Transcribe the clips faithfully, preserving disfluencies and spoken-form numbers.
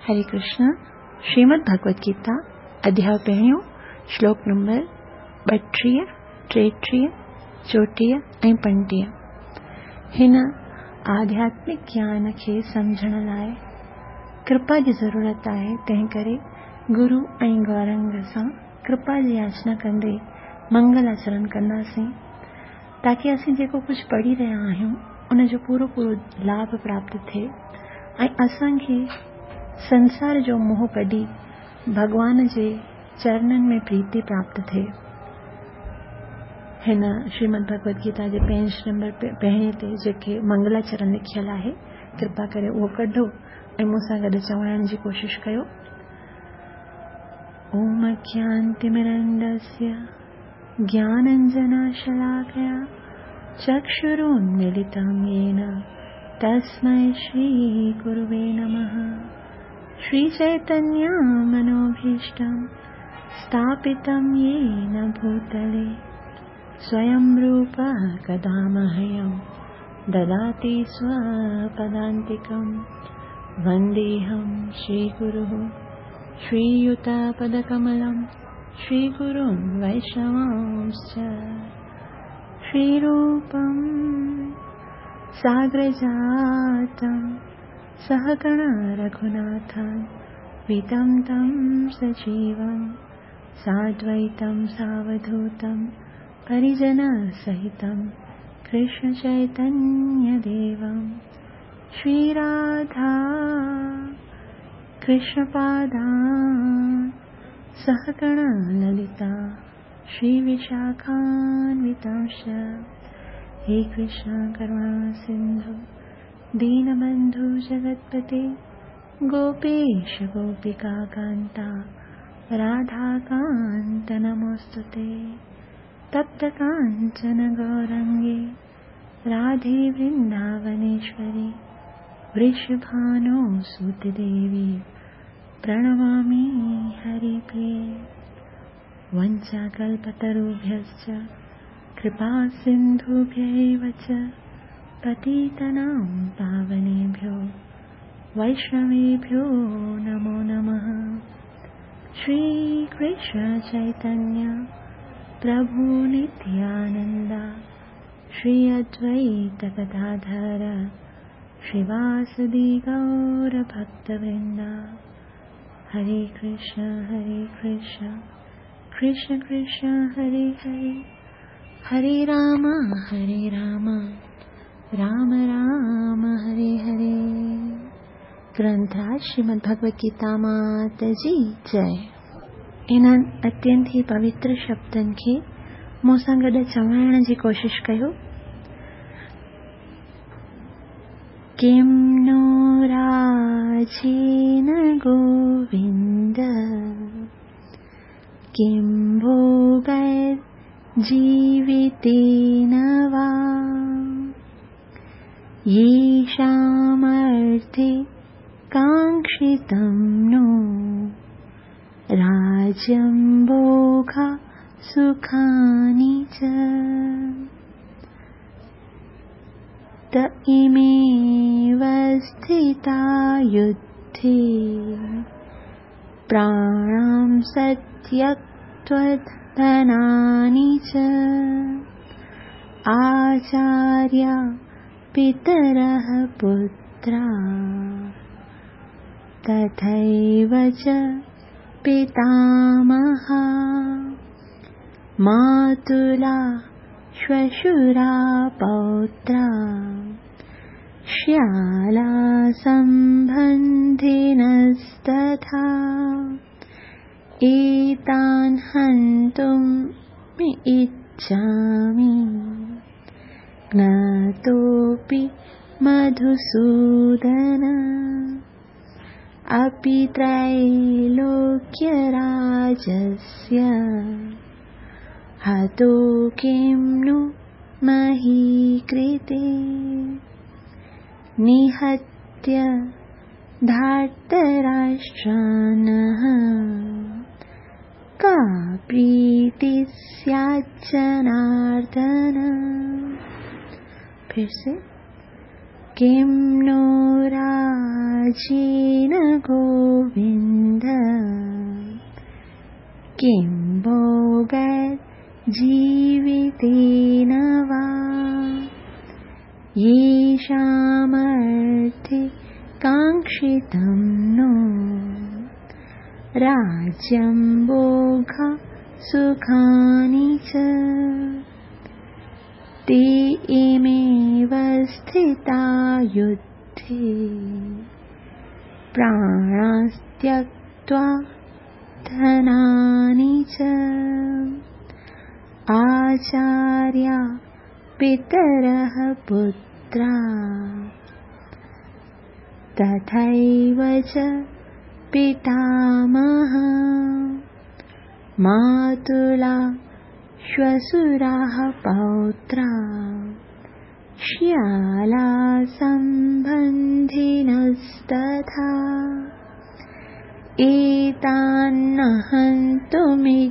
हरे कृष्ण। श्रीमद् भगवद गीता अध्याय पहिरियों, श्लोक नंबर ॿटीह, टेटीह, चोटीह ऐं पंटीह। हिन आध्यात्मिक ज्ञान खे सम्झण लाइ कृपा जी ज़रूरत आहे, तंहिं करे गुरू ऐं गौरंग सां कृपा जी याचना कंदे मंगल आचरण कंदासीं, ताकी असीं जेको कुझु पढ़ी रहिया आहियूं उन जो पूरो पूरो लाभ प्राप्त थिए ऐं असांखे संसार जो मोह कढी भॻवान जे चरणनि में प्रीति प्राप्त थिए। हिन श्रीमद् भगवद गीता जे पेज नंबर पहिरें ते जेके मंगलाचरण लिखियल आहे, कृपा करे उहो कढो ऐं मूंसां गॾु चवण जी कोशिशि कयो। ओम अज्ञानतिमिरन्दस्य ज्ञानाञ्जनशलाकया चक्षुरुन्मीलितं येन तस्मै श्रीगुरुवे नमः। श्रीचैतन्यमनोभीष्टं स्थापितं येन भूतले स्वयं रूपः कदा मह्यं ददाति स्वपदान्तिकं। वन्देऽहं श्रीगुरुः श्रीयुतपदकमलं श्रीगुरुं वैष्णवांश्च। श्रीरूपं साग्रजातं सहगण रघुनाथान्वितं तं सजीवं साद्वैतं सावधूतं परिजनसहितं कृष्णचैतन्यदेवं। श्रीराधा कृष्णपादान् सहगण ललिता श्रीविशाखान्वितांश्च। हे कृष्ण करुणा सिन्धु दीनबन्धु जगत्पते गोपेश गोपिकान्ता राधाकान्त नमोऽस्तुते। तप्तकाञ्चन गौरङ्गे राधे वृन्दावनेश्वरि वृषभानुसुते देवी प्रणमामि हरिप्रिये। वञ्चाकल्पतरुभ्यश्च कृपासिन्धुभ्यैव च पतितानां पावनेभ्यो वैष्णवेभ्यो नमो नमः। श्रीकृष्ण चैतन्य प्रभु नित्यानन्द श्री अद्वैत गदाधर श्रीवासदि गौरभक्तवृन्द। हरे कृष्ण हरे कृष्ण कृष्ण कृष्ण हरे हरे, हरे राम हरे राम राम राम हरे हरे। ग्रंथराज श्रीमद् भगवद गीता मात जी जय। इन्हनि अत्यंत ई पवित्र शब्दनि खे मूंसां गॾु चवण जी कोशिशि कयो। किं नो राजेन गोविन्द किं भोगैर्जीवितेन वा, येषामर्थे काङ्क्षितं नो राज्यं भोगा सुखानि च। त इमेव स्थिता युद्धे प्राणां सत्यक्त्वधनानि च। आचार्या पितरः पुत्रा तथैव च पितामहा, मातुला श्वशुरा पौत्रा श्याला सम्बन्धिनस्तथा। एतान् हन्तुम् इच्छामि ज्ञातोऽपि मधुसूदन। अपि त्रैलोक्यराजस्य हतो किं नु महीकृते। निहत्य धार्तराष्ट्रानः का प्रीतिः स्याज्जनार्दन। फिर से किं नो राज्येन गोविन्द किं भोगैर्जीवितेन वा। येषामर्थे काङ्क्षितं नो राज्यं भोगा सुखानि च ते इमेव स्थिता युद्धे प्राणास्त्यक्त्वा धनानि च। आचार्या पितरः पुत्रा तथैव च पितामह मातुला श्वसुराः पौत्रा श्याला सम्बन्धिनस्तथा। एतान्न हन्तुमिच्छामि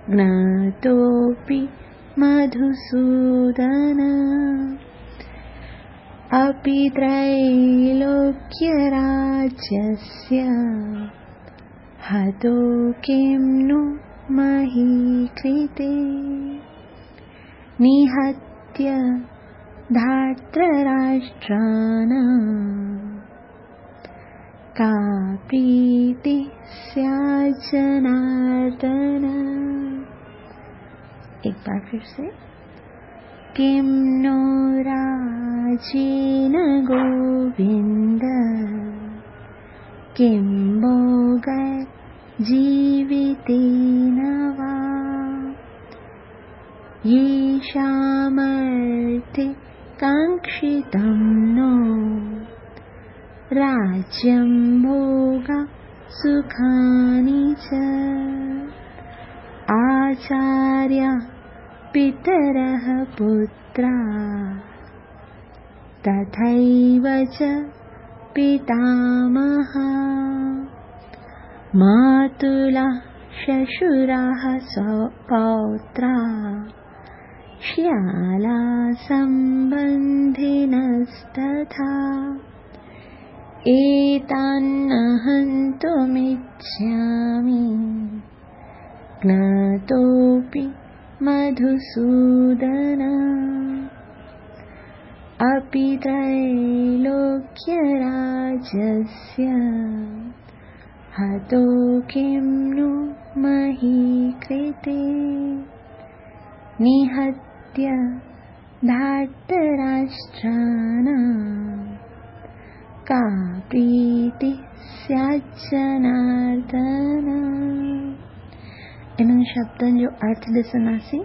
ज्ञातोऽपि मधुसूदन। अपि त्रैलोक्यराज्यस्य हतो किं नु महीकृते। निहत्य धार्तराष्ट्राणां का प्रीतिः स्यात् जनार्दन। एक बार फिर से। किं नो राज्येन गोविन्द किं भोगैर्जीवितेन वा। येषामर्थे काङ्क्षितं नो राज्यं भोगा सुखानि च। आचार्या पितरः पुत्रा तथैव च पितामहा मातुला श्वशुराः पौत्रा श्याला सम्बन्धिनस्तथा। एतान्न हन्तुमिच्छामि ज्ञातोऽपि मधुसूदन। अपि त्रैलोक्यराज्यस्य हतो किं नु महीकृते। निहत्य धार्तराष्ट्राणां का प्रीतिः स्यात् जनार्दन। इन्हनि शब्दनि जो अर्थ ॾिसंदासीं।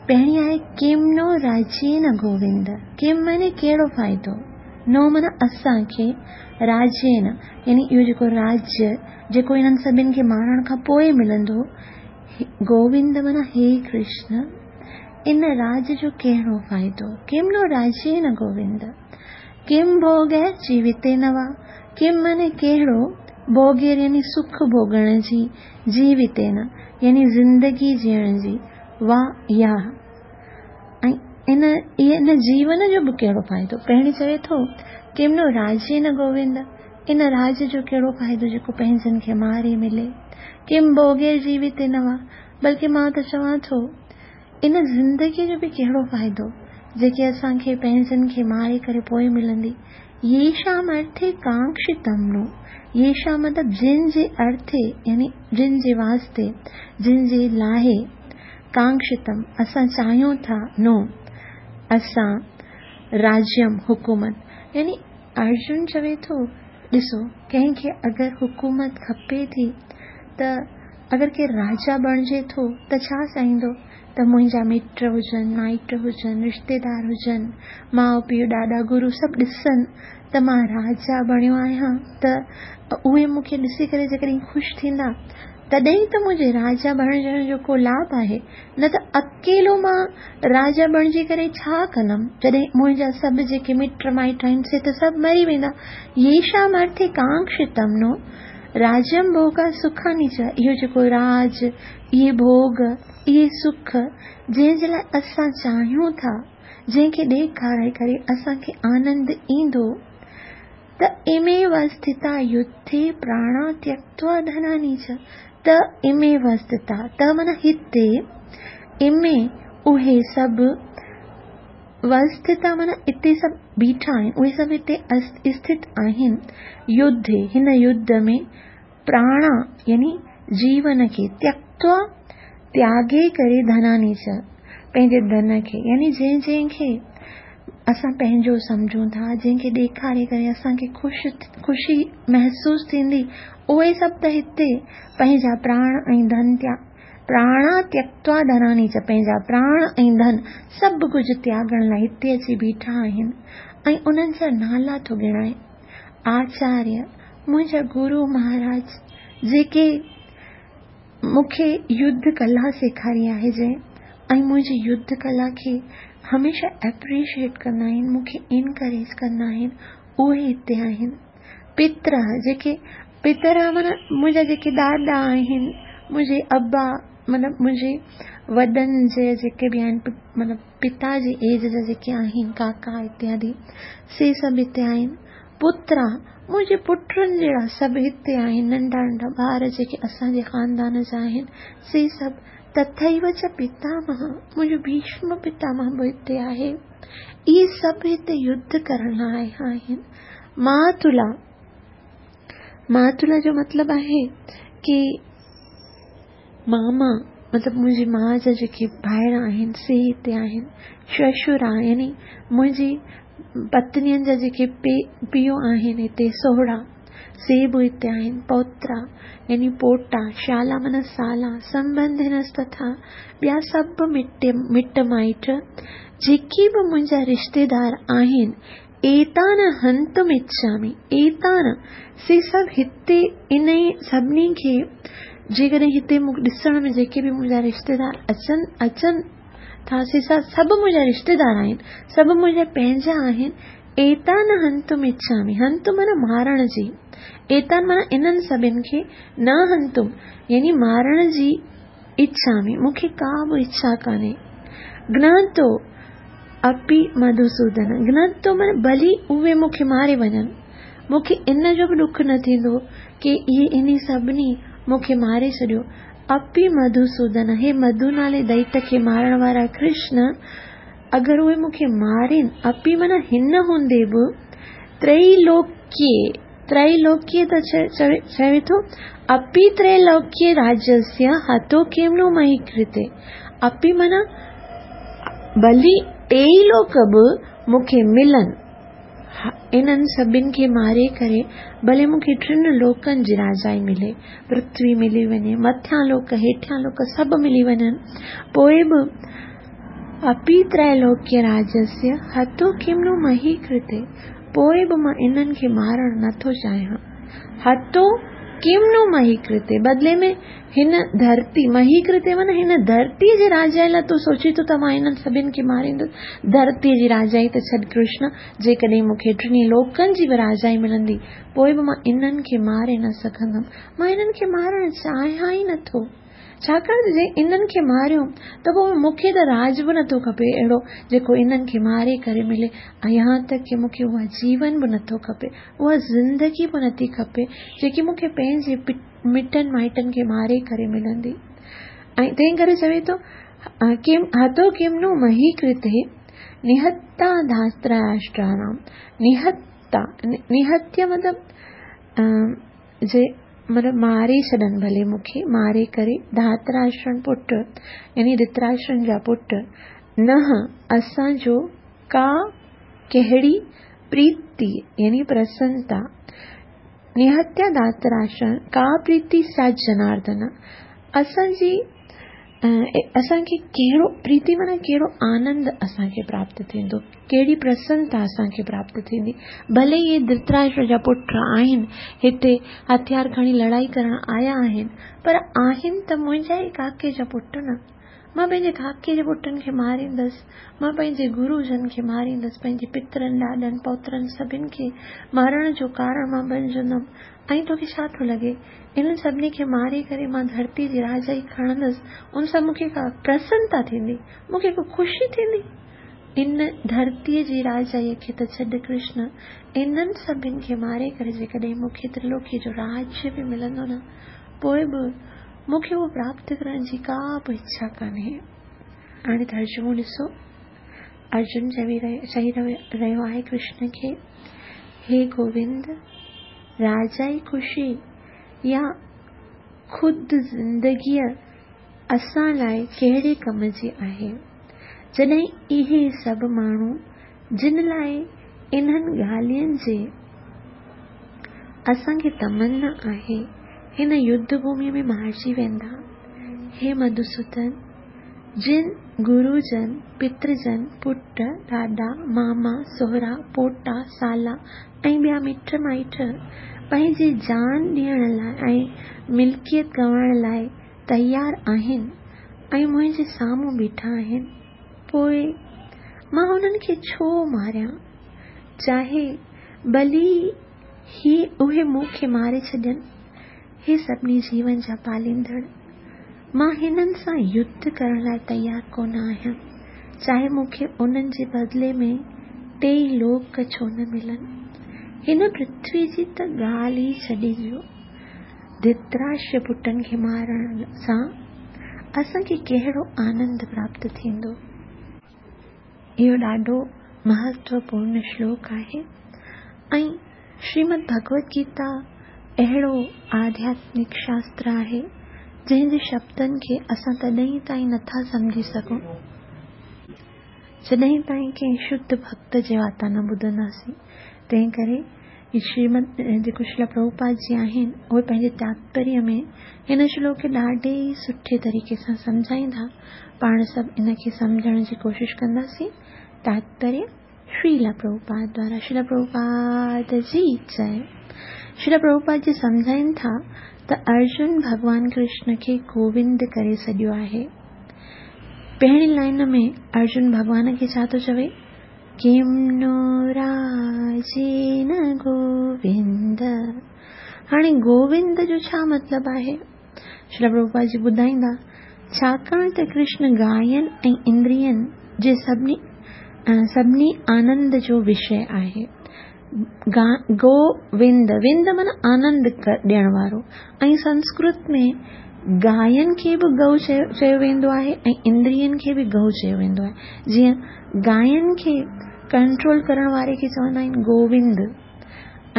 पहिरीं आहे किम नो राज्येन गोविंद। किम माने कहिड़ो फ़ाइदो, नो माना असांखे, राज्येन यानी इहो जेको राज्य जेको इन्हनि सभिनि खे मारण खां पोइ मिलंदो, गोविंद माना हे कृष्ण, इन राज जो कहिड़ो फ़ाइदो। किम नो राज्येन गोविंद किम भोगैर् जीवितेन वा। किम माने कहिड़ो, भोगैर् यानी सुख भोगण जी, जीवितेन यानी ज़िंदगी जीअण जी, वा या ऐं इन इन जीवन जो बि कहिड़ो फ़ाइदो। पहिरीं चवे थो किम नो राज्येन गोविंद, इन राज जो कहिड़ो फ़ाइदो जेको पंहिंजनि खे मारे मिले। किम भोगैर् जीवितेन वा, बल्कि मां त चवां थो इन ज़िंदगीअ जो बि कहिड़ो फ़ाइदो जेके असांखे पंहिंजनि खे मारे करे पोइ मिलंदी। येषाम् अर्थे काङ्क्षितं नो, येषां मतिलबु जिन जे अर्थे यानी जिन जे वास्ते, जिन जे लाइ, काङ्क्षितम असां चाहियूं था, नो असां राज्यम हुकूमत। यानी अर्जुन चवे थो ॾिसो कंहिंखे अगरि हुकूमत खपे थी त अगरि केरु राजा बणिजे थो त छा चाहींदो त मुंहिंजा मिट हुजनि, माइट हुजनि, रिश्तेदार हुजनि, माउ पीउ ॾाॾा गुरू सभु ॾिसनि त मां राजा बणियो आहियां, त उहे मूंखे ॾिसी करे जेकॾहिं ख़ुशि थींदा तॾहिं त मुंहिंजे राजा बणिजण जो को लाभ आहे, न त अकेलो मां राजा बणिजी करे छा कंदमि जॾहिं मुंहिंजा सभु जेके मिट माइट आहिनि से त सभु मरी वेंदा। येषाम् अर्थे काङ्क्षितं नो राज्यम भोगा सुखानि च, इहो जेको राज, इहे भोग, इहे सुख जंहिंजे लाइ असां चाहियूं था, جنهن کي ڏيکاري ڪري اسان کي آنند ايندو، ته اميو اسٿتا يڌي پراڻا تيڪتوا ڌناني چ، ته اميو اسٿتا، ته معنيٰ هتي، امي اهي سڀ، وسٿتا معنيٰ اتي سڀ بيٺا آهن، اهي سڀ هتي اسٿت آهن، يڌي هن يڌ ۾، پراڻا يعني جيون کي، تيڪتوا تياڳي ڪري، ڌناني چ پنهنجي ڌن کي، يعني جنهن جنهن کي اسان پنهنجو سمجهون ٿا، جنهن کي ڏيکاري ڪري اسان کي خوش خوشي محسوس ٿيندي، اهي سڀ ته هتي پنهنجا پراڻ ۽ ڌن تيا پراڻا تيڪتوا ڌناني چ پنهنجا پراڻ ۽ ڌن سڀ ڪجهه تياڳڻ لاءِ هتي اچي بيٺا آهن. ۽ انهن جا نالا ٿو ڳڻائي، آچاريه منهنجا گرو مهاراج جيڪي مون کي يڌ ڪلا سيکاري آهي، جنهن ۽ منهنجي يڌ ڪلا کي هميشه ايپريشيئيٽ ڪندا آهن، مون کي انڪريج ڪندا آهن، اهي هتي آهن. پتر جيڪي، پتر معنيٰ منهنجا جيڪي ڏاڏا آهن، منهنجي ابا مطلب منهنجي وڏن جي جيڪي به آهن، مطلب پتا جي ايج جا جيڪي آهن، ڪاڪا اتيادي، سي سڀ هتي آهن. پترا منهنجي پٽن جهڙا سڀ هتي آهن، ننڍا ننڍا ٻار جيڪي اسان جي خاندان جا آهن سي سڀ. تٿيو چ پتامهه منهنجو ڀيشم پتامهه به هتي آهي. اهي سڀ هتي يڌ ڪرڻ لاءِ آيا آهن. ماتلا، ماتلا جو مطلب آهي ڪه ماما، مطلب منهنجي ماءُ جا جيڪي ڀائر آهن سي هتي آهن. ششرا يعني منهنجي پتنين جا جيڪي پيءُ آهن هتي، سهرا، سي به هتي آهن. پوترا يعني پوٽا، شالا معنيٰ سالا، سنٻنڌنستٿا ٻيا سڀ مٽ مٽ مائٽ جيڪي به منهنجا رشتيدار آهن، ايتان هنتم اڇامي، ايتان سي سڀ هتي، ان سڀني کي جيڪڏهن هتي مون ڏسڻ ۾ جيڪي به منهنجا رشتيدار اچن اچن ٿا، سي سڀ منهنجا رشتيدار آهن، سڀ منهنجا پنهنجا آهن. ايتان هنتم اڇامي، هنتم معنيٰ مارڻ جي، ايتان معنيٰ انهن سڀني کي، نه هنتم يعني مارڻ جي، اڇامي مون کي ڪا به اڇا ڪانهي. گناتو اپي مڌوسودن، گناتو معنيٰ ڀلي اهي مون کي ماري وڃن، مون کي ان جو به ڏک نه ٿيندو ڪه اهي انهي سڀني مون کي ماري ڇڏيو. اپي مڌوسودن، هي مڌو نالي دئت کي مارڻ وارا ڪرشن، اگر اهي مون کي مارين، اپي معنيٰ هن هوندي به، تريلوڪيه، تريلوڪيه ته چوي ٿو، اپي تريلوڪيه راجيسيه هتو ڪم نو مهي ڪرتي، اپي معنيٰ ڀلي ٽيئي لوڪ به مون کي ملن، انهن سڀني کي ماري ڪري ڀلي مون کي ٽن لوڪن جي راجائي ملي، پرٿوي ملي وڃي، مٿيان لوڪ هيٺيان لوڪ سڀ ملي وڃن، پوءِ به اپي تريلوڪيه راجيسيه هتو ڪم نو مهي ڪرتي، پوءِ به مان انهن کي مارڻ نٿو چاهيان. هتو ڪم نو مهي ڪرتي، بدلي ۾ هن ڌرتي، مهي ڪرتي معنيٰ هن ڌرتيءَ جي راجائي لاءِ تون سوچين ٿو ته مان هنن سڀني کي ماريندس، ڌرتيءَ جي راجائي ته ڇڏ ڪرشن، جيڪڏهن مون کي ٽنهي لوڪن جي به راجائي ملندي پوءِ به مان انهن کي ماري نه سگهندم، مان انهن کي مارڻ چاهيان ئي نٿو، ڇاڪاڻ ته جي انهن کي ماريو ته پوءِ مون کي ته راج به نٿو کپي اهڙو جيڪو انهن کي ماري ڪري ملي، ۽ يهان تڪ ڪه مون کي اها جيون به نٿو کپي، اها زندگي به نٿي کپي جيڪي مون کي پنهنجي مٽن مائٽن کي ماري ڪري ملندي. ۽ تنهن ڪري چوي ٿو ڪم هتو ڪم نو مهي ڪرتي نهتا ڌاتراشٽرانام، نهتا نهتيه مطلب جي مطلب ماري ڇڏن ڀلي مون کي ماري ڪري، ڌاتراشٽرن پٽ يعني ڌرتراشٽرن جا پٽ، نه اسان جو ڪا ڪهڙي پريتي يعني پرسنتا، نهتيا ڌاتراشٽرن ڪا پريتي سيات جناردن، اسان جي اسان کي ڪهڙو پريتي معنيٰ ڪهڙو آنند اسان کي پراپت ٿيندو، ڪهڙي پرسنتا اسان کي پراپت ٿيندي. ڀلي اهي ڌرتراشٽر جا پٽ آهن، هتي هٿيار کڻي لڙائي ڪرڻ آيا آهن، پر آهن ته منهنجا ئي ڪاڪي جا پٽ نه، مان پنهنجي ڪاڪي جي پٽن کي ماريندس، مان پنهنجي گروجن کي ماريندس، پنهنجي پترن ڏاڏن پوترن سڀني کي مارڻ جو ڪارڻ مان بڻجندم. ۽ توکي ڇا ٿو لڳي انهن سڀني کي ماري ڪري مان ڌرتي جي راجائي کڻندس، ان سان مون کي ڪا پرسنتا ٿيندي، مون کي ڪو خوشي ٿيندي؟ ان ڌرتيءَ جي راجائيءَ کي ته ڇڏ ڪرشن، انهن سڀني کي ماري ڪري جيڪڏهن مون کي ترلوڪيءَ جو راجيه به ملندو نه، پوءِ به مون کي اهو پراپت ڪرڻ جي ڪا به اڇا ڪانهي. هاڻي ترجمو ڏسو. ارجن چوي چئي رهيو آهي ڪرشن کي، هي گووند، راجائي خوشي يا خود زندگيءَ اسان لاءِ ڪهڙي ڪم جي آهي؟ جڏهن اهي سڀ ماڻهو جن لاءِ انهن ڳالهين جي اسان کي تمنا آهي، هن يڌ ڀوميءَ ۾ مارجي ويندا. هي مڌوسودن، جن گروجن، پترجن، پٽ، ڏاڏا، ماما، سهرا، پوٽا، سالا ۽ ٻيا مٽ مائٽ پنهنجي جان ڏيڻ لاءِ ۽ ملڪيت گنوائڻ لاءِ تيار آهن ۽ منهنجي سامهون بيٺا آهن، پوءِ مان هنن کي ڇو ماريان؟ چاهي ڀلي هي اهي مون کي ماري ڇڏين. هي سڀني جيون جا پاليندڙ، مان هنن سان يڌ ڪرڻ لاءِ تيار ڪونه آهيان، چاهي مون کي انهن جي بدلي ۾ ٽيئي لوڪ ڇو نه ملن. هن پرٿوي جي ته ڳالهه ئي ڇڏي ڏيو. ڌرتراشٽر پٽن کي مارڻ سان اسان کي ڪهڙو آنند پراپت ٿيندو؟ اهو ڏاڍو مهتوپورڻ شلوڪ آهي ۽ شريمد ڀڳوت گيتا اهڙو آڌياتمڪ شاستر آهي جنهن جي شبدن کي اسان تڏهن تائين نٿا سمجهي سگهون جڏهن تائين ڪنهن شڌ ڀڪت جي واتان نه ٻڌنداسين. تنهن ڪري شريمد جيڪو شريلا پرڀوپاد جي آهن، اهي پنهنجي تاتپريه ۾ هن شلوڪ کي ڏاڍي ئي سٺي طريقي سان سمجهائيندا. پاڻ سڀ ان کي سمجهڻ جي ڪوشش ڪنداسين. تاتپريه شريلا پرڀوپاد دوارا. شريلا پرڀوپاد جي جئي. شريلا پرڀوپاد جي سمجهائين ٿا ته ارجن ڀڳوان ڪرشن کي گووند ڪري سڏيو آهي. پهرين لائن ۾ ارجن ڀڳوان کي ڇا ٿو چوي؟ ڪم نو راجين گووند. هاڻي گووند جو ڇا مطلب آهي؟ شريلا پرڀوپاد جي ٻڌائيندا، ڇاڪاڻ ته ڪرشن گاين ۽ اندرين جي سڀني سڀني آنند جو وشيه آهي. گووند، وند معنيٰ آنند ڏيڻ وارو، ۽ سنسڪرت ۾ گاين کي به گئو چيو ويندو آهي ۽ اندرين کي به گئو چيو ويندو آهي. جيئن گاين کي ڪنٽرول ڪرڻ واري کي چوندا آهن گووند،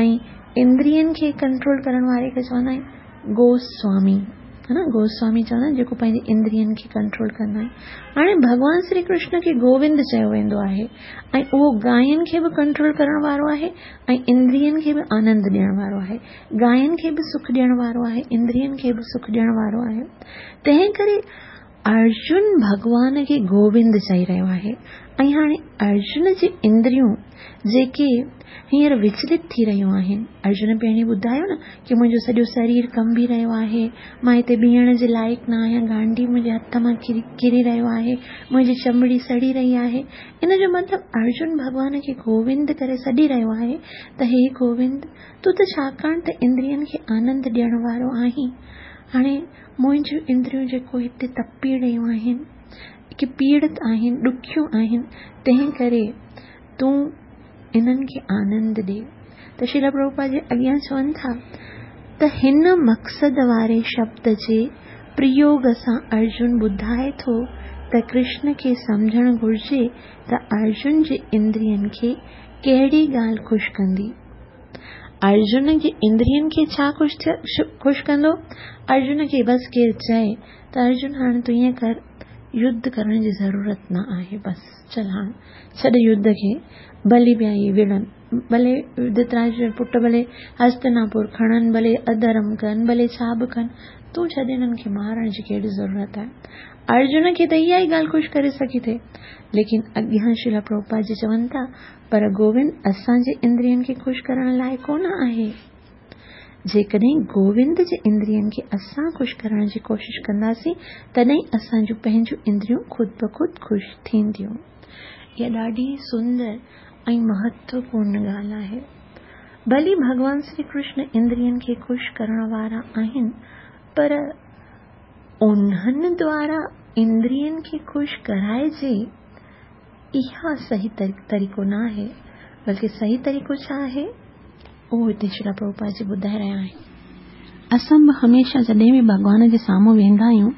۽ اندرين کي ڪنٽرول ڪرڻ واري کي چوندا آهن گوسوامي، ها نه؟ گوسوامي چوندا آهن جيڪو پنهنجي اندرين کي ڪنٽرول ڪندا آهن. هاڻي ڀڳوان شري ڪرشن کي گووند چيو ويندو آهي ۽ اهو گاين کي به ڪنٽرول ڪرڻ وارو آهي ۽ اندرين کي به آنند ڏيڻ وارو آهي، گاين کي به سک ڏيڻ وارو آهي، اندرين کي به سک ڏيڻ وارو آهي. تنهن ڪري ارجن ڀڳوان کي گووند چئي رهيو آهي. ۽ هاڻي ارجن جي اندريون جيڪي هينئر وچلت ٿي رهيون آهن، ارجن پهرين ٻڌايو نه ڪه منهنجو سڄو شرير ڪنبي رهيو آهي، مان هتي بيهڻ جي لائق نه آهيان، گانڊي منهنجي هٿ مان ڪري رهيو آهي، منهنجي چمڙي سڙي رهي آهي. ان جو مطلب ارجن ڀڳوان کي گووند ڪري سڏي رهيو آهي ته هي گووند، تون ته ڇاڪاڻ ته اندرين کي آنند ڏيڻ وارو آهين، هاڻي منهنجون اندريون جيڪو هتي تپي رهيون آهن، ڪي پيڙت آهن، ڏکيون آهن، تنهن ڪري تون انهن کي آنند ڏي. ته شريلا پرڀوپاد جي اڳيان چون ٿا ته هن مقصد واري شبد جي پريوگ سان ارجن ٻڌائي ٿو ته ڪرشن کي سمجهڻ گهرجي ته ارجن جي اندرين کي ڪهڙي ڳالهه خوش ڪندي. ارجن جي اندرين کي ڇا خوش خوش ڪندو؟ ارجن کي بس ڪير چئي ته ارجن هاڻي تون ائين ڪر، يڌ ڪرڻ جي ضرورت نه آهي، بس چل هاڻي ڇڏ يڌ کي، ڀلي پيا اهي وڙهن، ڀلي ڌرتراشٽر پٽ ڀلي هستناپور کڻن، ڀلي اڌرم ڪن، ڀلي ڇا به ڪن، تون ڇڏ هنن کي مارڻ جي ڪهڙي ضرورت آهي. ارجن کي ته اها ئي ڳالهه خوش ڪري سگهي ٿي. ليڪن اڳيان شريلا پرڀوپاد جي چون ٿا پر گووند اسان جي اندرين کي خوش ڪرڻ لاءِ ڪونه آهي. جيڪڏهن گووند جي اندرين کي اسان خوش ڪرڻ جي ڪوشش ڪنداسين تڏهن اسان جون پنهنجون اندريون خود به خود خوش ٿينديون. اها ڏاڍي سندر ۽ مهتوپورڻ ڳالهه آهي. ڀلي ڀڳوان شري ڪرشن اندرين کي خوش ڪرڻ وارا آهن، پر انهن دوارا اندرين کي خوش ڪرائجي इहा सही तरीक़ो न आहे, बल्कि सही तरीक़ो छा आहे उहो हिते श्रील प्रभुपाद जी ॿुधाए रहिया आहिनि। असां बि हमेशह जॾहिं बि भॻवान जे साम्हूं वेंदा आहियूं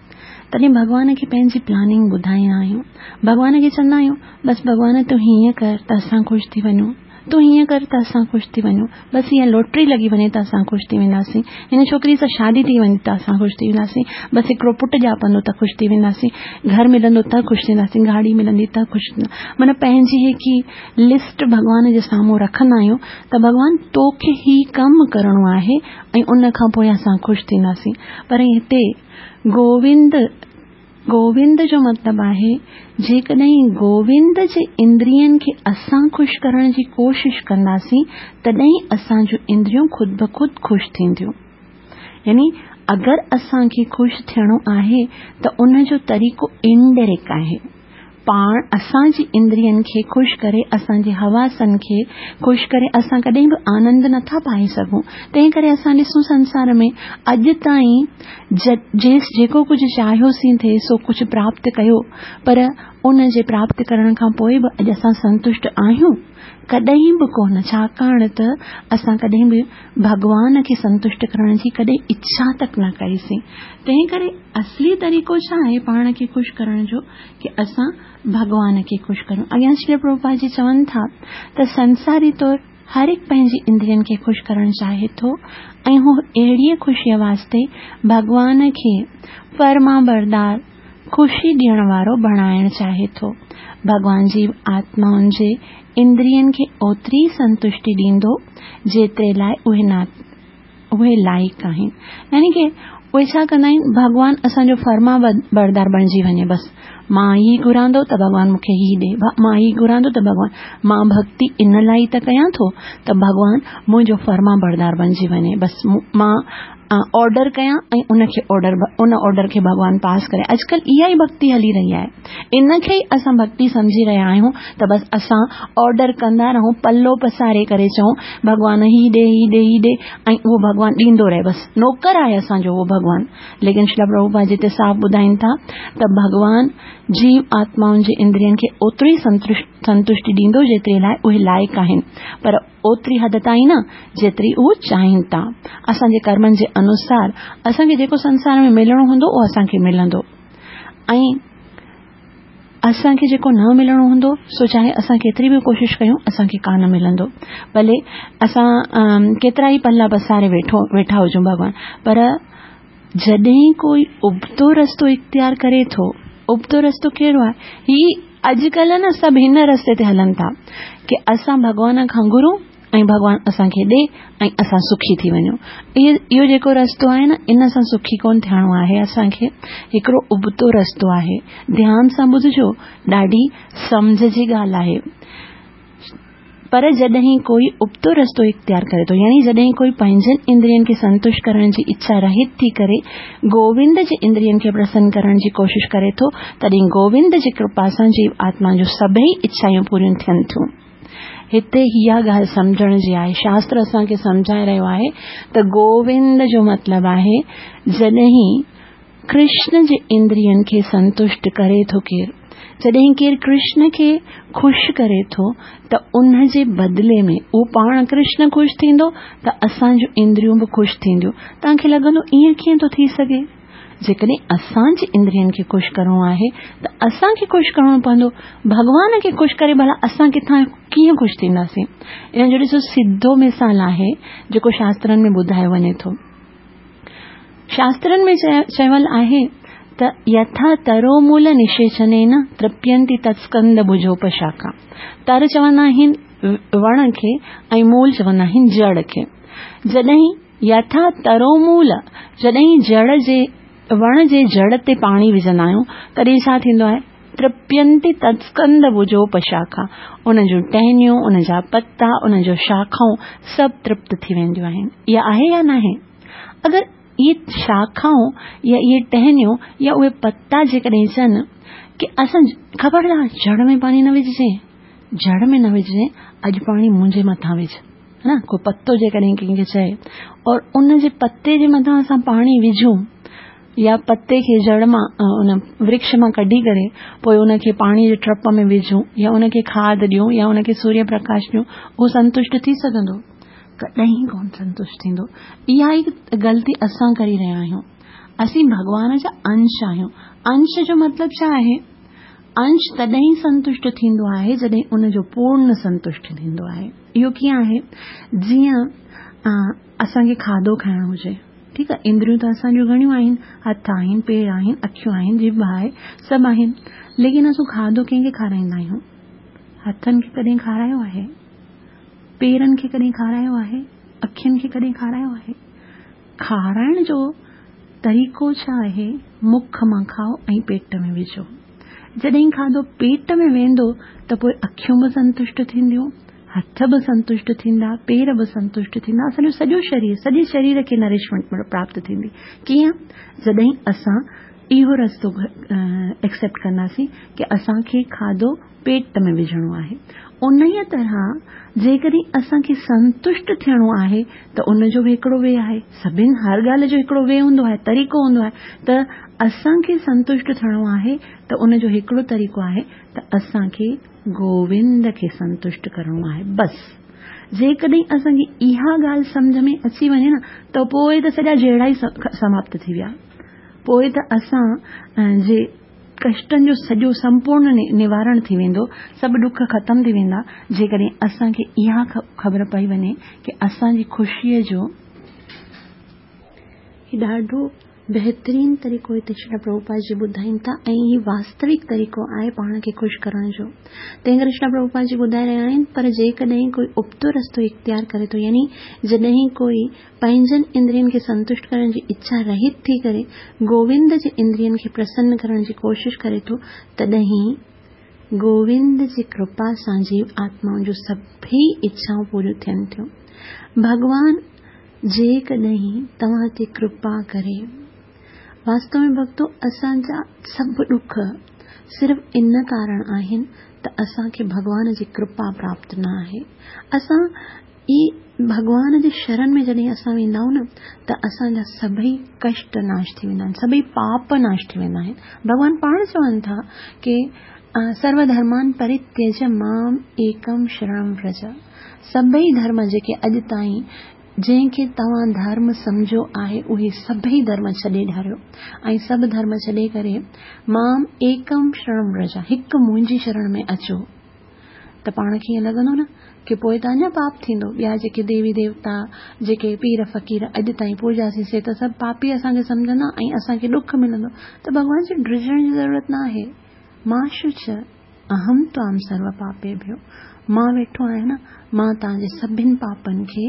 तॾहिं भॻवान खे पंहिंजी प्लानिंग ॿुधाईंदा आहियूं। भॻवान खे चवंदा आहियूं बसि भॻवान तूं हीअं कर त असां ख़ुशि थी वञूं, तूं हीअं कर त असां ख़ुशि थी वञूं, बसि इहा लॉटरी लॻी वञे त असां ख़ुशि थी वेंदासीं, हिन छोकिरी सां शादी थी वञे त असां ख़ुशि थी वेंदासीं, बसि हिकिड़ो पुटु ॼापंदो त ख़ुशि थी वेंदासीं, घर मिलंदो त ख़ुशि थींदासीं, गाॾी मिलंदी त ख़ुशि थींदा। माना पंहिंजी हिकु लिस्ट भॻवान जे साम्हूं रखंदा आहियूं त भॻवान तोखे ही कमु करिणो आहे ऐं उन खां पोइ असां ख़ुशि थींदासीं। पर हिते गोविंद गोविंद जो मतिलबु आहे जेकॾहिं गोविंद जे इंद्रियनि खे असां ख़ुशि करण जी कोशिशि कंदासीं तॾहिं असांजूं इंद्रियूं ख़ुदि ब ख़ुदि ख़ुशि थींदियूं। यानी अगरि असांखे ख़ुशि थियणो आहे त उन जो तरीक़ो इनडायरेक्ट आहे। पाण असांजी इंद्रियनि खे ख़ुशि करे, असांजे हवासनि खे ख़ुशि करे असां कॾहिं बि आनंद नथा पाए सघूं। तंहिं करे असां ॾिसूं संसार में अॼु ताईं जेको कुझु चाहियोसीं थिए सो कुझु प्राप्त कयो, पर उन जे प्राप्त करण खां पोइ बि अॼु असां संतुष्ट आहियूं कॾहिं बि कोन, छाकाणि त असां कॾहिं बि भॻवान खे संतुष्ट करण जी कॾहिं इच्छा तक न कईसीं। तंहिं करे असली तरीक़ो छा आहे पाण खे ख़ुशि करण जो की असां भॻवान खे ख़ुशि करूं। अॻियां श्री प्रभुपाद जी चवनि था त संसारी तौर हर हिकु पंहिंजी इंद्रियनि खे ख़ुशि करणु चाहे थो ऐं हू अहिड़ीअ ख़ुशीअ वास्ते भॻवान खे फरमाबरदार ख़ुशी ॾियण वारो बणाइणु चाहे थो। भॻवान जी आत्माउनि जे इंद्रियनि खे ओतिरी संतुष्टि ॾींदो जेतिरे लाइ उहे ना उहे लाइक़ आहिनि। यानी की उहे छा कंदा आहिनि, भॻवान असांजो फरमा बरदार बणिजी वञे, बसि मां ई घुरांदो त भॻवान मूंखे ई ॾे, मां ई घुरांदो त भॻवान, मां भक्ति इन लाइ त कयां थो त भॻवान मुंहिंजो फरमा बरदार बणिजी वञे, बसि मां ऑर्डर कयां ऐं उनखे ऑर्डर उन ऑर्डर खे भॻवान पास करे। अॼुकल्ह इहा ई भक्ति हली रही आहे, इन खे ई असां भक्ति सम्झी रहिया आहियूं त बसि असां ऑर्डर कंदा रहूं, पल्लो पसारे करे चऊं भॻवान ही ॾे ही ॾे ही ॾे ऐं उहो भॻवान ॾींदो रहे, बसि नौकर आहे असांजो उहो भॻवान। लेकिन श्रील प्रभुपाद जिते साफ़ ॿुधाइनि था त भॻवान जीव आत्माउनि जे इंद्रियनि खे ओतिरी संतुष्टि ॾींदो जेतिरे लाइ उहे लाइक़ आहिनि, पर ओतिरी हद ताईं न जेतिरी उहो चाहिनि था। असांजे कर्मनि जे अनुसार असांखे जेको संसार में मिलणो हूंदो उहो असांखे मिलंदो ऐं असांखे जेको न मिलणो हूंदो सो चाहे असां केतिरी बि कोशिशि कयूं असांखे कान मिलंदो, भले असां केतिरा ई पल्ला पसारे वेठो वेठा हुजूं भॻवान, पर जॾहिं कोई उबतो रस्तो इख़्तियार करे थो, उबतो रस्तो कहिड़ो आहे? ही अॼुकल्ह न सभु हिन रस्ते ते हलनि था की असां भॻवान खां घुरूं ऐं भॻवान असांखे ॾे ऐं असां सुखी थी वञूं। इहो जेको रस्तो आहे न इन सां सुखी कोन थियणो आहे असांखे, हिकिड़ो उबतो रस्तो आहे। ध्यान सां ॿुधजो, ॾाढी सम्झ जी ॻाल्हि आहे। पर जॾहिं कोई उबतो रस्तो इख़्तियार करे थो, यानी जॾहिं कोई पंहिंजनि इंद्रियनि खे संतुष्ट करण जी इच्छा रहित थी करे गोविंद जे इंद्रियनि खे प्रसन्न करण जी कोशिशि करे थो, तॾहिं गोविंद जी कृपा सां जीव आत्मा जूं सभई इच्छायूं पूरियूं थियनि थियूं। हिते इहा ॻाल्हि सम्झण जी आहे। शास्त्र असांखे सम्झाए रहियो आहे त गोविंद जो मतिलबु आहे जॾहिं कृष्ण जे इंद्रियनि खे संतुष्ट करे थो केरु, जॾहिं केरु कृष्ण खे ख़ुशि करे थो त उन जे बदिले में उहो पाण कृष्ण ख़ुशि थींदो त असांजूं इंद्रियूं बि ख़ुशि थींदियूं। तव्हांखे लॻंदो ईअं कीअं थो थी सघे? जेकॾहिं असांजे इंद्रियनि खे ख़ुशि करिणो आहे त असांखे ख़ुशि करिणो पवंदो, भॻवान खे ख़ुशि करे भला असां किथां कीअं ख़ुशि थींदासीं? इन जो ॾिसो सिधो मिसाल आहे जेको शास्त्रनि में ॿुधायो वञे थो। शास्त्रनि में चयल आहे त यथा तरोमूल निषेचनेन तृप्यन्ति तत्स्कंद भुजोपशाखा। तर चवंदा आहिनि वण खे ऐं मूल चवंदा आहिनि जड़ खे। जॾहिं यथा तरोमूल, जॾहिं जड़ जे वण जे जड़ ते पाणी विझंदा आहियूं तॾहिं छा थींदो आहे? तृप्यन्ति तत्स्कंद भुजोपशाखा, उन जूं टहनियूं, उन जा पता, उन जो शाखाऊं सभु तृप्त थी वेंदियूं आहिनि। इहा आहे या नाहे? अगरि इहे शाखाऊं या इहे टहनियूं या उहे पता जेकॾहिं चवनि की असां ख़बरदार जड़ में पाणी न विझिजे, जड़ में न विझिजे, अॼु पाणी मुंहिंजे मथां विझ, है न? को पतो जेकॾहिं कंहिंखे चए और उन जे पते जे मथां असां पाणी विझूं يا پتي کي جڙ مان ان ورڪش مان ڪڍي ڪري پوءِ ان کي پاڻيءَ جي ٽرپ ۾ وجهون يا ان کي کاڌ ڏيون يا ان کي سوريه پرڪاش ڏيون، اهو سنتشٽ ٿي سگهندو؟ ڪڏهن ڪونه سنتشٽ ٿيندو. اها ئي غلطي اسان ڪري رهيا آهيون. اسين ڀڳوان جا انش آهيون. انش جو مطلب ڇا آهي؟ انش تڏهن سنتشٽ ٿيندو آهي جڏهن ان جو پورڻ سنتشٽ ٿيندو آهي. اهو ڪيئن آهي؟ جيئن اسان کي کاڌو کائڻو هجي، ٺيڪ آهي، اندريون ته اسان جون گهڻيون آهن، هٿ آهن، پير آهن، اکيون آهن، ڄڀ آهي، سڀ آهن، ليڪن اسان کاڌو ڪنهن کي کارائيندا آهيون؟ هٿن کي ڪڏهن کارايو آهي؟ پيرن کي ڪڏهن کارايو آهي؟ اکين کي ڪڏهن کارايو آهي؟ کارائڻ جو طريقو ڇا آهي؟ مک مان کائو ۽ پيٽ ۾ وجهو. جڏهن کاڌو پيٽ ۾ ويندو ته پوءِ اکيون به سنتشٽ ٿينديون، هٿ به سنتشٽ ٿيندا، پير به سنتشٽ ٿيندا، اسان جو سڄو شرير، سڄي شرير کي نرشمينٽ پراپت ٿيندي. ڪيئن؟ جڏهن اسان اهو رستو ايڪسيپٽ ڪنداسين ڪه اسان کي کاڌو پيٽ ۾ وجهڻو آهي. انهيءَ طرح جيڪڏهن اسان کي سنتشٽ ٿيڻو آهي ته ان جو به هڪڙو وي آهي. سڀني هر ڳالهه جو هڪڙو وي هوندو آهي، طريقو هوندو آهي. ته اسان کي سنتشٽ ٿيڻو آهي ته ان جو هڪڙو طريقو آهي ته اسان کي گووند کي سنتشٽ ڪرڻو آهي. بس جيڪڏهن اسان کي اها ڳالهه سمجهه ۾ اچي وڃي نه ته پوءِ ته سڄا جهيڙا ئي سماپت ٿي ويا. پوءِ ته اسان جي ڪشٽن جو سڄو سمپورڻ نوارڻ ٿي ويندو، سڀ ڏک ختم ٿي ويندا. جيڪڏهن اسان کي اها خبر پئي وڃي ڪه اسان جي خوشيءَ جو هي ڏاڍو بهترين طريقو هتي شري پرڀوپاد جي ٻڌائين ٿا ۽ هي واستوڪ طريقو آهي پاڻ کي خوش ڪرڻ جو. تنهن ڪري شري پرڀوپاد جي ٻڌائي رهيا آهن. پر جيڪڏهن ڪوئي ابتو رستو اختيار ڪري ٿو، يعني جڏهن ڪوئي پنهنجن اندرين کي سنتشٽ ڪرڻ جي اڇا رهت ٿي ڪري گووند جي اندرين کي پرسن ڪرڻ جي ڪوشش ڪري ٿو، تڏهن گووند جي ڪرپا سان جيو آتمائن جون سڀئي اڇائون پوريون ٿين ٿيون. ڀڳوان جيڪڏهن توهان تي ڪرپا ڪري، واستو ۾ ڀڳتو اسان جا سڀ ڏک صرف ان ڪارڻ آهن ته اسان کي ڀڳوان جي ڪرپا پراپت نه آهي. اسان ئي ڀڳوان جي شرڻ ۾ جڏهن اسان ويندا آهيون نه ته اسان جا سڀئي ڪشٽ ناش ٿي ويندا آهن، سڀئي پاپ ناش ٿي ويندا آهن. ڀڳوان پاڻ چون ٿا ڪه سرو ڌرمان پرتيج مام ايڪم شرڻم ورج. سڀئي ڌرم جيڪي اڄ تائين جنهن کي توهان ڌرم سمجهيو آهي اهي سڀئي ڌرم ڇڏي ڏياريو ۽ سڀ ڌرم ڇڏي ڪري مام ايڪم شرڻم ورج، هڪ منهنجي شرڻ ۾ اچو. ته پاڻ کي ائين لڳندو نه ڪه پوءِ ته اڃا پاپ ٿيندو. ٻيا جيڪي ديوي ديوتا، جيڪي پير فقير اڄ تائين پوڄاسين سي ته سڀ پاپي اسان کي سمجهندا ۽ اسان کي ڏک ملندو. ته ڀڳوان جي ڊڄڻ جي ضرورت نه آهي. مان شچ اهم توام سرو پاپي ڀيو، مان ويٺو آهيان نه، مان توهان جي سڀني پاپن کي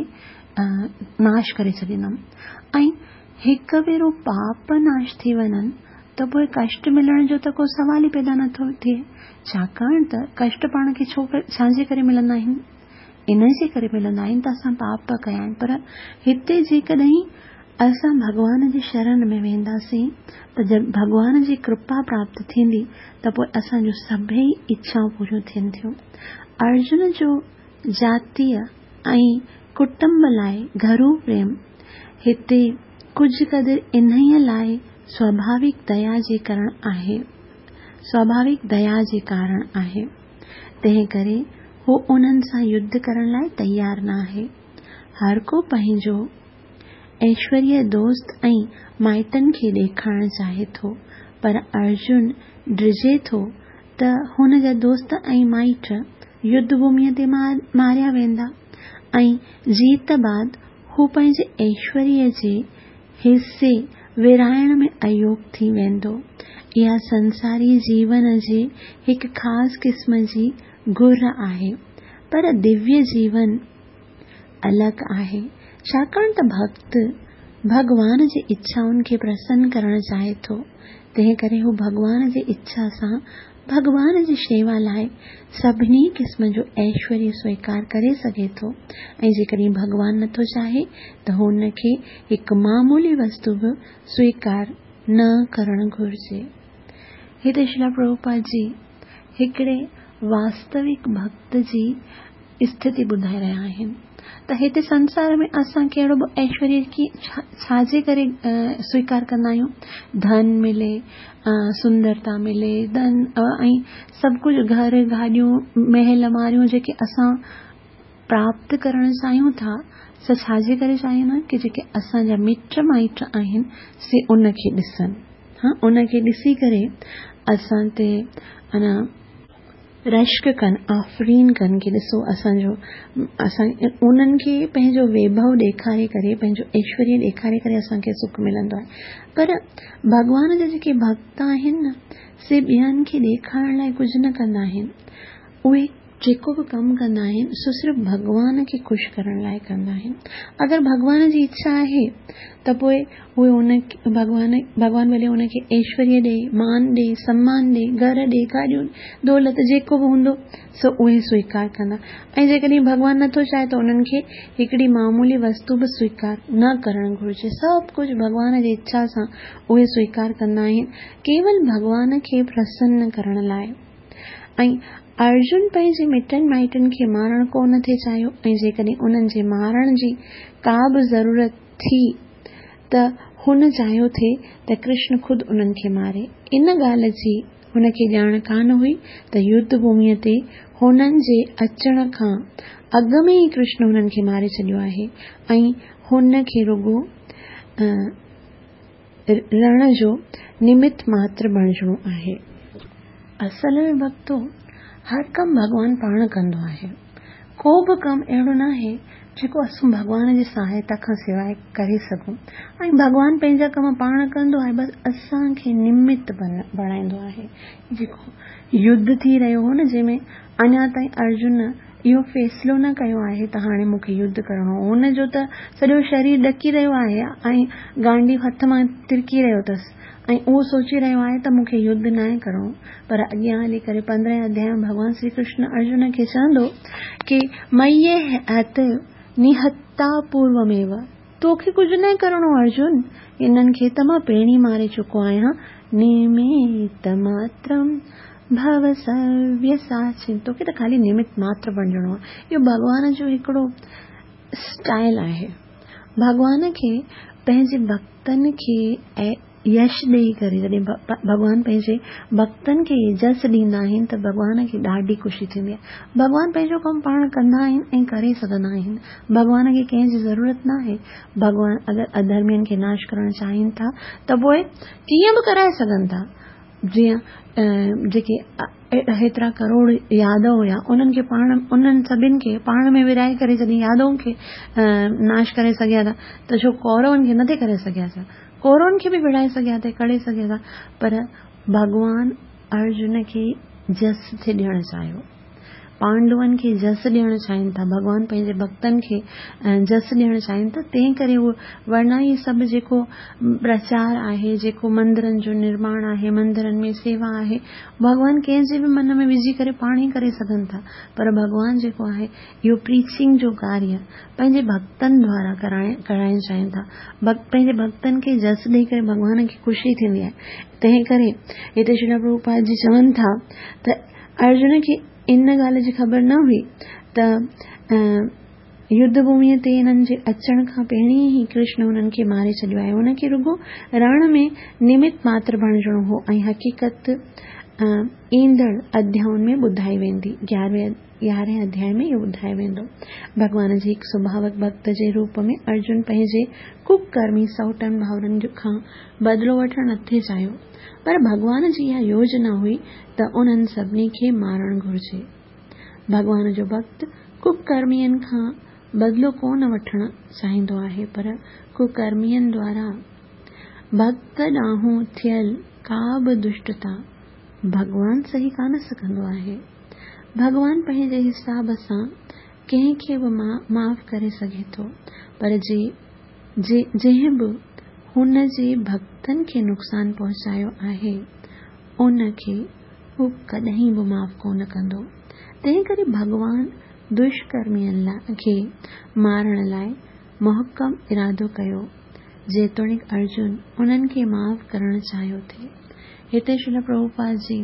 ناش ڪري ڇڏيندم. ۽ هڪ ڀيرو پاپ ناش ٿي وڃن ته پوءِ ڪشٽ ملڻ جو ته ڪو سوال ئي پيدا نٿو ٿئي. ڇاڪاڻ ته ڪشٽ پاڻ کي ڇو ڇا جي ڪري ملندا آهن؟ ان جي ڪري ملندا آهن ته اسان پاپ ڪيا آهن. پر هتي جيڪڏهن اسان ڀڳوان جي شرڻ ۾ وينداسين ته ڀڳوان جي ڪرپا پراپت ٿيندي ته پوءِ اسان جون سڀئي اڇائون پوريون ٿين ٿيون. ارجن جو جاتيه ۽ ڪٽنب لاءِ گهرو پريم هتي ڪجهه قدر انهيءَ لاءِ سوڀاوڪ ديا جي ڪارڻ آهي، سوڀاوڪ ديا جي ڪارڻ آهي. تنهن ڪري هو انهن سان يڌ ڪرڻ لاءِ تيار نه آهي. هر ڪو پنهنجو ايشوريه دوست ۽ مائٽن کي ڏيکارڻ چاهي ٿو، پر ارجن ڊڄي ٿو ته هن جا دوست ۽ مائٽ يڌ ڀوميءَ تي ماريا ويندا ۽ جيت بعد هو پنهنجي ايشوريه جي حصي ورهائڻ ۾ ايوگ ٿي ويندو. اها سنساري جيون جي هڪ خاص قسم جي گهر آهي، پر دويه جيون الڳ آهي. ڇاڪاڻ ته ڀڳت ڀڳوان جي اڇائن کي پرسن ڪرڻ چاهي ٿو، تنهن ڪري هو ڀڳوان جي اڇا سان ڀڳوان جي شيوا لاءِ سڀني قسم جو ايشوريه سويڪار ڪري سگهي ٿو. ۽ جيڪڏهن ڀڳوان نٿو چاهي ته هن کي هڪ معمولي وستو به سويڪار نه ڪرڻ گهرجي. هتي شري پرڀوپاد جي هڪڙي واستوڪ ڀڳت جي اسٿتي ٻڌائي رهيا آهن. ته هتي سنسار ۾ اسان ڪهڙو به ايشوريه کي ڇا جي ڪري سويڪار ڪندا آهيون؟ ڌن ملي، سندرتا ملي، ڌن ۽ سڀ ڪجهه، گهر، گاڏيون، محل، ماريون جيڪي اسان پراپت ڪرڻ چاهيون ٿا، سو ڇا جي ڪري چاهيون ٿا؟ ڪي جيڪي اسان جا مٽ مائٽ آهن سي ان کي ڏسن، ها ان کي ڏسي ڪري اسان تي انا رشڪ ڪن، آفرين ڪن ڪي ڏسو اسان جو، اسان انهن کي پنهنجو ويڀو ڏيکاري ڪري، پنهنجو ايشوريه ڏيکاري ڪري اسان کي سک ملندو آهي. پر ڀڳوان جا جيڪي ڀڳت آهن نه، سي ٻين کي ڏيکارڻ لاءِ ڪجهه نه ڪندا آهن. اهي جيڪو به ڪم ڪندا آهن سو صرف ڀڳوان کي خوش ڪرڻ لاءِ ڪندا آهن. اگر ڀڳوان جي اڇا آهي ته پوءِ اهي ان ڀڳوان ڀڳوان ڀلي ان کي ايشوريه ڏئي، مان ڏئي، سمان ڏئي، گهر ڏئي، گاڏيون، دولت جيڪو به هوندو سو اهي سويڪار ڪندا. ۽ جيڪڏهن ڀڳوان نٿو چاهي ته انهن کي هڪڙي معمولي وستو به سويڪار نه ڪرڻ گهرجي. سڀ ڪجهه ڀڳوان جي اڇا سان اهي سويڪار ڪندا آهن، ڪيول ڀڳوان کي پرسن ڪرڻ لاءِ. ۽ ارجن پنهنجي مٽن مائٽن کي مارڻ ڪونه ٿي چاهيو، ۽ جيڪڏهن انهن جي مارڻ جي ڪا به ضرورت ٿي ته هن چاهيو ٿي ته ڪرشن خود انهن کي ماري. ان ڳالهه جي هن کي ڄاڻ ڪانه هئي ته يڌ ڀوميءَ تي هنن جي اچڻ کان اڳ ۾ ئي ڪرشن هنن کي ماري ڇڏيو آهي ۽ هن کي رڳو رڻ جو نمت ماتر بڻجڻو آهي. اصل ۾ ڀڳتو، هر ڪم ڀڳوان پاڻ ڪندو آهي. ڪو به ڪم اهڙو نه آهي جيڪو اسان ڀڳوان جي سهائتا کان سواءِ ڪري سگهون. ۽ ڀڳوان پنهنجا ڪم پاڻ ڪندو آهي، بس اسان کي نمت بڻائيندو آهي. جيڪو يڌ ٿي رهيو هو نه، جنهن ۾ اڃا تائين ارجن اهو فيصلو نه ڪيو آهي ته هاڻي مون کي يڌ ڪرڻو هو. هن جو ته سڄو شرير ڏڪي رهيو آهي ۽ گانڊي هٿ مان ترڪي رهيو اٿس ۽ اهو سوچي رهيو آهي ته مون کي يڌ ناهي ڪرڻو. پر اڳيان هلي ڪري پندرهين اڌياءِ ۾ ڀڳوان شري ڪرشن ارجن کي چوندو ڪي مئي هت نهتا پوروميو، توکي ڪجهه نه ڪرڻو ارجن، انهن کي ته مان پهرين ماري چڪو آهيان. نمت ماترم ڀو سويساچن، توکي ته خالي نمت ماتر بڻجڻو آهي. اهو ڀڳوان جو هڪڙو اسٽائل آهي. ڀڳوان کي پنهنجي ڀڳتن کي يش ڏيئي ڪري، جڏهن ڀڳوان پنهنجي ڀڳتن کي جس ڏيندا آهن ته ڀڳوان کي ڏاڍي خوشي ٿيندي آهي. ڀڳوان پنهنجو ڪم پاڻ ڪندا آهن ۽ ڪري سگهندا آهن. ڀڳوان کي ڪنهن جي ضرورت نه آهي. ڀڳوان اگر اڌرمين کي ناش ڪرڻ چاهين ٿا ته پوءِ ڪيئن به ڪرائي سگهن ٿا. جيئن جيڪي هيترا ڪروڙ يادو هئا، انهن کي پاڻ انهن سڀني کي پاڻ ۾ ورهائي ڪري جڏهن يادون کي ناش ڪري سگهيا ٿا ته ڇو ڪورون کي نٿي ڪري سگهيا؟ ڇا ڪورون کي به وڙهائي سگهيا ٿي، ڪري سگهيا ٿا. پر ڀڳوان ارجن کي جس ٿي ڏيڻ چاهيو، پانڊون کي جس ڏيڻ چاهين ٿا، ڀڳوان پنهنجي ڀڳتن کي جس ڏيڻ چاهين ٿا. تنهن ڪري اهو ورنا ئي سڀ جيڪو پرچار آهي، جيڪو مندرن جو نرماڻ آهي، مندرن ۾ سيوا آهي، ڀڳوان ڪنهن جي به من ۾ وجهي ڪري پاڻ ئي ڪري سگهن ٿا. پر ڀڳوان جيڪو آهي اهو پريچنگ جو ڪاريه پنهنجي ڀڳتن دوارا ڪرائڻ ڪرائڻ چاهين ٿا. پنهنجي ڀڳتن کي جس ڏيئي ڪري ڀڳوان کي خوشي ٿيندي آهي. تنهن ڪري هتي شري پرڀوپاد جي چون ٿا ته ارجن کي ان ڳالهه جي خبر نه هئي ته يڌ ڀوميءَ تي هنن جي اچڻ کان پهرين ئي ڪرشن هنن کي ماري ڇڏيو آهي. هن کي رڳو رڻ ۾ نمت ماتر بڻجڻو هو ۽ حقيقت ايندڙ اڌيائن ۾ ٻڌائي ويندي. گيارهين يارهين اڌياءِ ۾ اهو ٻڌايو ويندو. ڀڳوان جي هڪ سڀاوڪ ڀڳت جي روپ ۾ ارجن پنهنجي ڪڪرمي سؤٽن ڀائرن کان بدلو وٺڻ نٿي چاهيو، پر ڀڳوان جي اها يوجنا هئي ته انهن سڀني کي مارڻ گهرجي. ڀڳوان جو ڀڳت ڪڪرمين کان بدلو ڪونه وٺڻ چاهيندو آهي، پر ڪڪرمين دوارا ڀڳت ڏانهن ٿيل ڪا به دشٽتا ڀڳوان سهي ڪانه سگهندو آهي. ڀڳوان پنهنجي حساب سان ڪنهن کي به معاف ڪري سگهي ٿو، پر جي جنهن به هن جي ڀڳتن کي نقصان پهچايو آهي ان کي هو ڪڏهن به معاف ڪونه ڪندو. تنهن ڪري ڀڳوان دشڪرمين کي مارڻ لاءِ محڪم ارادو ڪيو، جيتوڻيڪ ارجن انهن کي معاف ڪرڻ چاهيو ٿي. هتي شري پرڀوپاد جي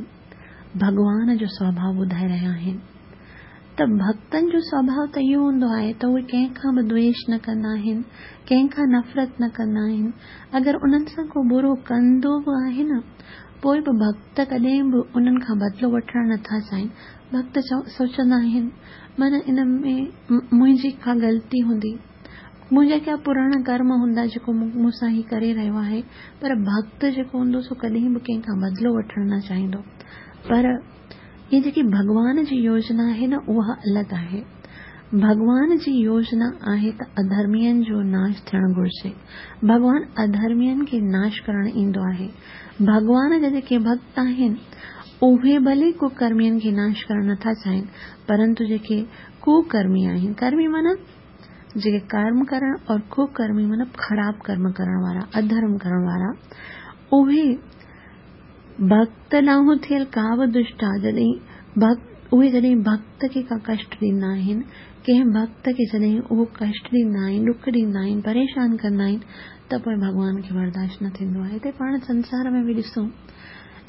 ڀڳوان جو سوڀاءُ ٻڌائي رهيا آهن ته ڀڳتن جو سوڀاءُ ته اهو هوندو آهي ته اهي ڪنهن کان به دويش نه ڪندا آهن، ڪنهن کان نفرت نه ڪندا آهن. اگر انهن سان ڪو برو ڪندو به آهي نه، پوءِ به ڀڳت ڪڏهن به انهن کان بدلو وٺڻ نٿا چاهين. ڀڳت سوچندا آهن معنيٰ ان ۾ منهنجي ڪا غلطي هوندي، منهنجا ڪيا پراڻا ڪرم هوندا جيڪو مون سان هي ڪري رهيو آهي. پر ڀڳت جيڪو هوندو سو ڪڏهن به ڪنهن کان بدلو وٺڻ نه چاهيندو. پر هيءَ جيڪي ڀڳوان جي يوجنا آهي نه، اها الڳ آهي. ڀڳوان جي يوجنا آهي ته اڌرمين جو ناش ٿيڻ گهرجي. ڀڳوان اڌرمين کي ناش ڪرڻ ايندو آهي. ڀڳوان جا جيڪي ڀڳت آهن اهي ڀلي ڪڪرمين کي ناش ڪرڻ نٿا چاهين، پرنتو جيڪي ڪڪرمي آهن، ڪرمي معنيٰ جيڪي ڪرم ڪرڻ اور ڪڪرمي معنيٰ خراب ڪرم ڪرڻ وارا، اڌرم ڪرڻ وارا، اهي ڀڳت ڏانهن ٿيل ڪا به دشٽا جڏهن ڀڳت اهي جڏهن ڀڳت کي ڪا ڪشٽ ڏيندا آهن، ڪنهن ڀڳت کي جڏهن اهو ڪشٽ ڏيندا آهن، ڏک ڏيندا آهن، پريشان ڪندا آهن، ته پوءِ ڀڳوان کي برداشت نه ٿيندو آهي. هتي پاڻ سنسار ۾ به ڏسون،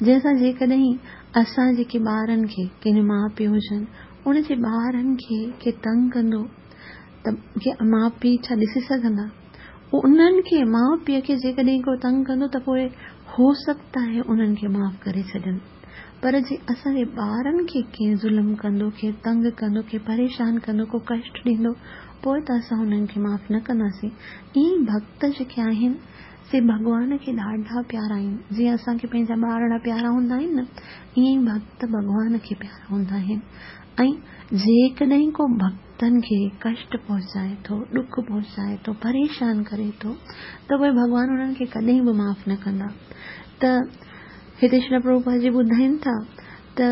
جنهن سان جيڪڏهن اسان جيڪي ٻارن کي، ڪنهن ماءُ پيءُ هجن، ان جي ٻارن کي ڪي تنگ ڪندو ته ڪي ماءُ پيءُ ڇا ڏسي سگهندا؟ انهن کي ماءُ پيءُ کي جيڪڏهن ڪو تنگ ڪندو ته پوءِ هو سگهندا آهي انهن کي معاف ڪري ڇڏن. پر جي اسان جي ٻارن کي ڪنهن ظلم ڪندو، ڪنهن تنگ ڪندو، ڪنهن پريشان ڪندو، ڪو ڪشٽ ڏيندو، پوءِ ته اسان هنن کي معاف نه ڪنداسين. ائين ڀڳت جيڪي آهن سي ڀڳوان کي ڏاڍا پيارا آهن. جيئن اسان کي پنهنجا ٻارڙا پيارا هوندا آهن نه، ائين ئي ڀڳت ڀڳوان کي پيارا هوندا آهن. ۽ جيڪڏهن ڪو ڀڳتن کي ڪشٽ پهچائي ٿو، ڏک پهچائي ٿو، پريشان ڪري ٿو، ته پوءِ ڀڳوان انهن کي ڪڏهن به معاف نه ڪندا. ته هتي شري پرڀوپاد جي ٻڌائين ٿا ته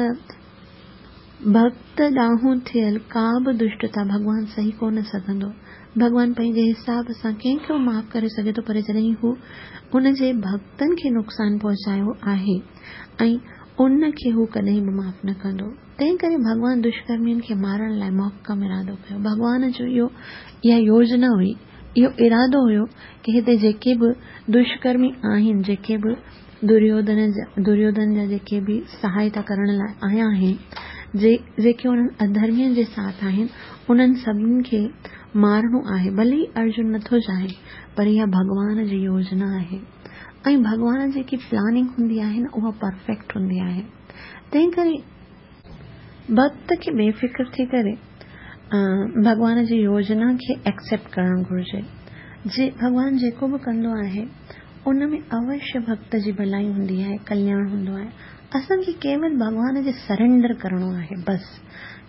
ڀڳت ڏانهن ٿيل ڪا به دشٽتا ڀڳوان سهي ڪونه سگهندو. ڀڳوان پنهنجي حساب سان ڪنهن کي به معاف ڪري سگهي ٿو، پر جڏهن هو ان جي ڀڳتن کي نقصان پهچايو آهي ۽ ان کي هو ڪڏهن به معاف نه ڪندو. تنهن ڪري ڀڳوان دشڪرمين کي مارڻ لاءِ محڪم ارادو ڪيو. ڀڳوان جو اهو اها يوجنا هئي، اهو ارادو هيو ڪه هتي جيڪي به دشڪرمي آهن، جيڪي به دريوڌن جا دريوڌن جا جيڪي به سهائتا ڪرڻ لاءِ آيا آهن، جي جيڪي انهن اڌرمين جي ساٿ آهن، انهن سڀني کي مارڻو آهي. ڀلي ئي ارجن نٿو چاهي، پر اها ڀڳوان جي يوجنا آهي. ۽ ڀڳوان جيڪي پلاننگ هوندي آهي نه، اها پرفيڪٽ هوندي آهي. تنهن ڪري ڀڳت کي بي فڪر ٿي ڪري ڀڳوان جي يوجنا کي ايڪسيپٽ ڪرڻ گهرجي. جي ڀڳوان جيڪو به ڪندو آهي ان ۾ اوشيه ڀڳت جي ڀلائي هوندي آهي، ڪلياڻ هوندو آهي. اسان کي ڪيول ڀڳوان کي سرينڊر ڪرڻو آهي، بس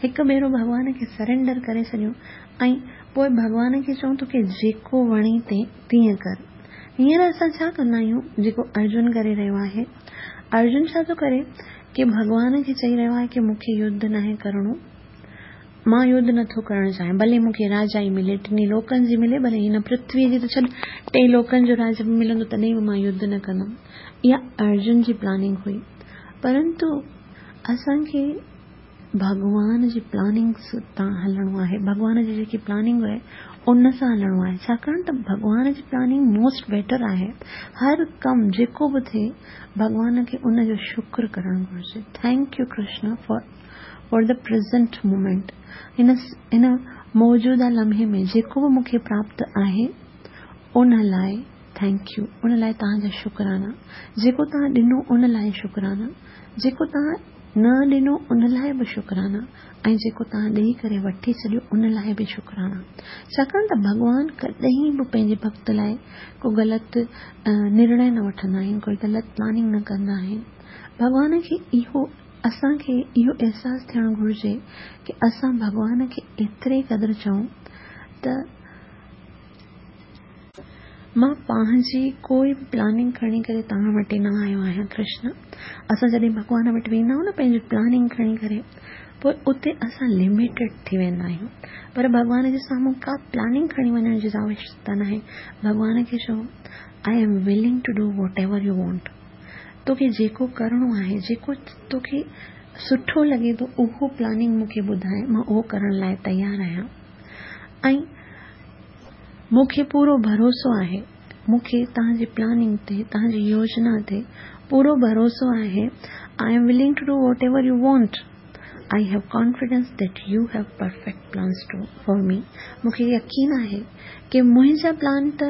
هڪ ڀيرو ڀڳوان کي سرينڊر ڪري ڇڏيون ۽ پوءِ ڀڳوان کي چئون توکي جيڪو وڻي تيئن ڪر. هينئر اسان ڇا ڪندا آهيون، جيڪو ارجن ڪري رهيو آهي، ارجن ڇا ٿو ڪري ڪه ڀڳوان کي چئي رهيو آهي ڪه مون کي يڌ ناهي ڪرڻو، مان يڌ نٿو ڪرڻ چاهيان، ڀلي مون کي راجا ئي ملي، ٽنهي لوڪن جي ملي، ڀلي هن پرٿويءَ جي ته ڇڏ، ٽي لوڪن جو راج به ملندو تڏهن به مان يڌ نه ڪندم. اها ارجن جي پلاننگ هئي. پرنتو اسان کي ڀڳوان جي پلاننگ تان هلڻو آهي. ڀڳوان جي جيڪي پلاننگ آهي ان سان هلڻو آهي، ڇاڪاڻ ته ڀڳوان جي پلاننگ موسٽ بيٽر آهي. هر ڪم جيڪو به ٿئي ڀڳوان کي ان جو شڪر ڪرڻ گهرجي. Thank you Krishna for for the present moment. هن هن موجوده لمحي ۾ جيڪو به مون کي پراپت آهي ان لاءِ thank you, ان لاءِ توهان جا شڪرانا. جيڪو توهان ڏنو ان لاءِ شڪرانا، جيڪو توهان نه ڏنو ان لاءِ به شڪرانا، ۽ جيڪو توهان ڏيئي ڪري وٺي ڇڏيو ان لاءِ به شڪرانا. ڇاڪاڻ ته ڀڳوان ڪڏهن به پنهنجي ڀڳت لاءِ ڪو غلط نرڻي نه وٺندا آهن، ڪوئي غلط پلاننگ نه ڪندا آهن. ڀڳوان کي اهو اسان کي اهو احساس ٿيڻ گهرجي ڪه اسان ڀڳوان کي ايتري قدر چئون ته مان پنهنجي ڪوئي به پلاننگ کڻي ڪري توهان وٽ نه آيو آهيان ڪرشن. اسان جڏهن ڀڳوان وٽ ويندا آهيون نه پنهنجي پلاننگ کڻي ڪري، پوءِ اتي اسان لميٽيڊ ٿي ويندا آهيون. پر ڀڳوان جي سامهون ڪا پلاننگ کڻي وڃڻ جي آوشيڪتا نه آهي. ڀڳوان کي چئو I am willing to do whatever you want. توکي جيڪو ڪرڻو آهي، جيڪو توکي سٺو لڳي ٿو، اهو پلاننگ مون کي ٻڌائي، مان اهو ڪرڻ لاءِ تيار آهيان. ۽ مون کي پورو ڀروسو آهي، مون کي توهان جي پلاننگ تي، توهان جي يوجنا تي پورو ڀروسو آهي. I am willing to do whatever you want. I have confidence that you have perfect plans to for me. مون کي يقين آهي ڪي منهنجا پلان ته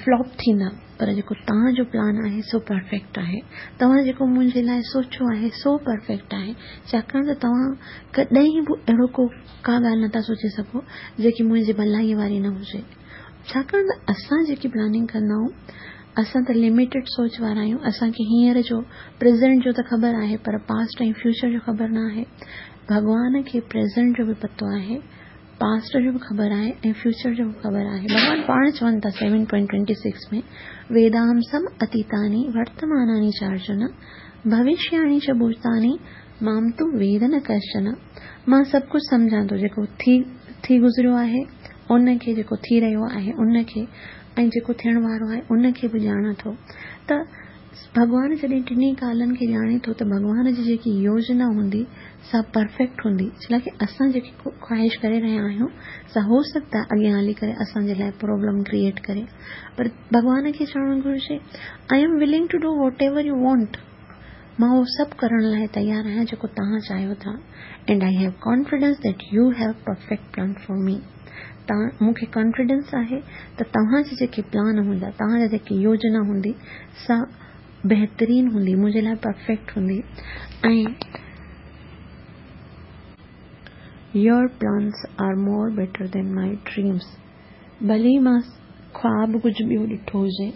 فلاپ ٿيندا، پر جيڪو توهان جو پلان آهي سو پرفيڪٽ آهي. توهان جيڪو منهنجي لاء سوچيو آهي سو پرفيڪٽ آهي، ڇاڪاڻ ته توهان ڪڏهن به اهڙو ڪو ڪا ڳالهه نٿا سوچي سگهو جيڪي منهنجي ڀلائيء واري نه هجي. ڇاڪاڻ ته اسان جيڪي پلاننگ ڪندا آهيون، اسان ته لميٽيڊ سوچ وارا آهيون. اسان کي هينئر جو پريزنٽ جو ته خبر آهي، پر پاسٽ ۽ فيوچر جو خبر نه آهي. ڀڳوان کي پريزنٽ جو به پتو آهي، پاسٽ جو به خبر آهي ۽ فيوچر جو به خبر آهي. ڀڳوان پاڻ چون ٿا سيون پوائنٽ ٽوئنٽي سڪس ۾، ويداهم سم اتيتاني ورتماناني چارجن ڀوشياڻي چ ڀوتاني مام تو ويد نه ڪشچن. مان سڀ ڪجهه سمجهان ٿو، جيڪو ٿي ٿي گذريو آهي ان کي، جيڪو ٿي رهيو آهي ان کي، ۽ جيڪو ٿيڻ وارو آهي ان کي به ڄاڻان ٿو. ته ڀڳوان جڏهن ٽنهي ڪالن کي ڄاڻي ٿو ته ڀڳوان جي جيڪي يوجنا هوندي سا پرفيڪٽ هوندي. ڇا لاءِ اسان جيڪي خواهش ڪري رهيا آهيون سا هو سگهدا اڳيان هلي ڪري اسان جي لاءِ پرابلم ڪريئيٽ ڪري، پر ڀڳوان کي چوڻ گهرجي I am willing to do whatever you want. مان اهو سڀ ڪرڻ لاءِ تيار آهيان جيڪو توهان چاهيو ٿا. And I have confidence that you have perfect plan for me. توهان مون کي ڪانفيڊنس آهي ته توهان جي جيڪي پلان هوندا، توهان جا جيڪي يوجنا هوندي سا بهترين هوندي، منهنجي لاءِ پرفيڪٽ هوندي. ۽ your plans are more better than my dreams. ڀلي ئي مان خواب ڪجهه ٻيو ڏٺو هجي،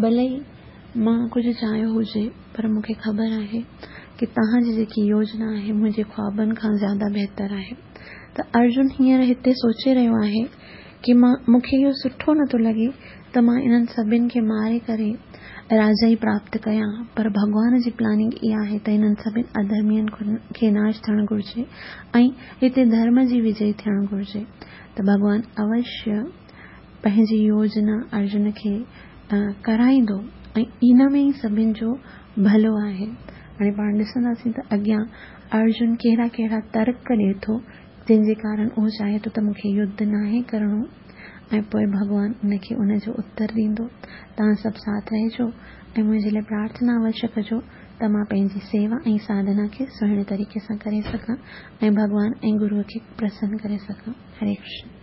ڀلي ئي مان ڪجهه چاهيو هجي، پر مون کي خبر آهي ڪه توهان جي جيڪي يوجنا آهي منهنجي خوابن کان زياده بهتر آهي. ته ارجن هينئر هتي سوچي رهيو آهي ڪه مان مون کي اهو سٺو نٿو لڳي ته مان انهن سڀني کي ماري ڪري راجائي پراپت ڪيان، پر ڀڳوان جي پلاننگ اها آهي ته انهن سڀني اڌرمين کي ناش ٿيڻ گهرجي ۽ هتي ڌرم جي وجي ٿيڻ گهرجي. ته ڀڳوان اوشيه پنهنجي يوجنا ارجن کي ڪرائيندو ۽ ان ۾ ئي سڀني جو ڀلو آهي. هاڻي پاڻ ڏسنداسين ته اڳيان ارجن ڪهڙا ڪهڙا ترڪ ڏئي ٿو، جنهن جي ڪارڻ اهو چاهي ٿو ته مون کي يڌ ناهي ڪرڻو، ۽ پوءِ ڀڳوان ان کي ان جو اتر ڏيندو. توهان سڀ ساٿ رهجو ۽ منهنجي لاءِ پرارٿنا اوشيه ڪجو ته مان پنهنجي سيوا ۽ ساڌنا کي سهڻي طريقي سان ڪري سگهان ۽ ڀڳوان ۽ گروءَ کي پرسن ڪري سگهان. هري ڪرشن.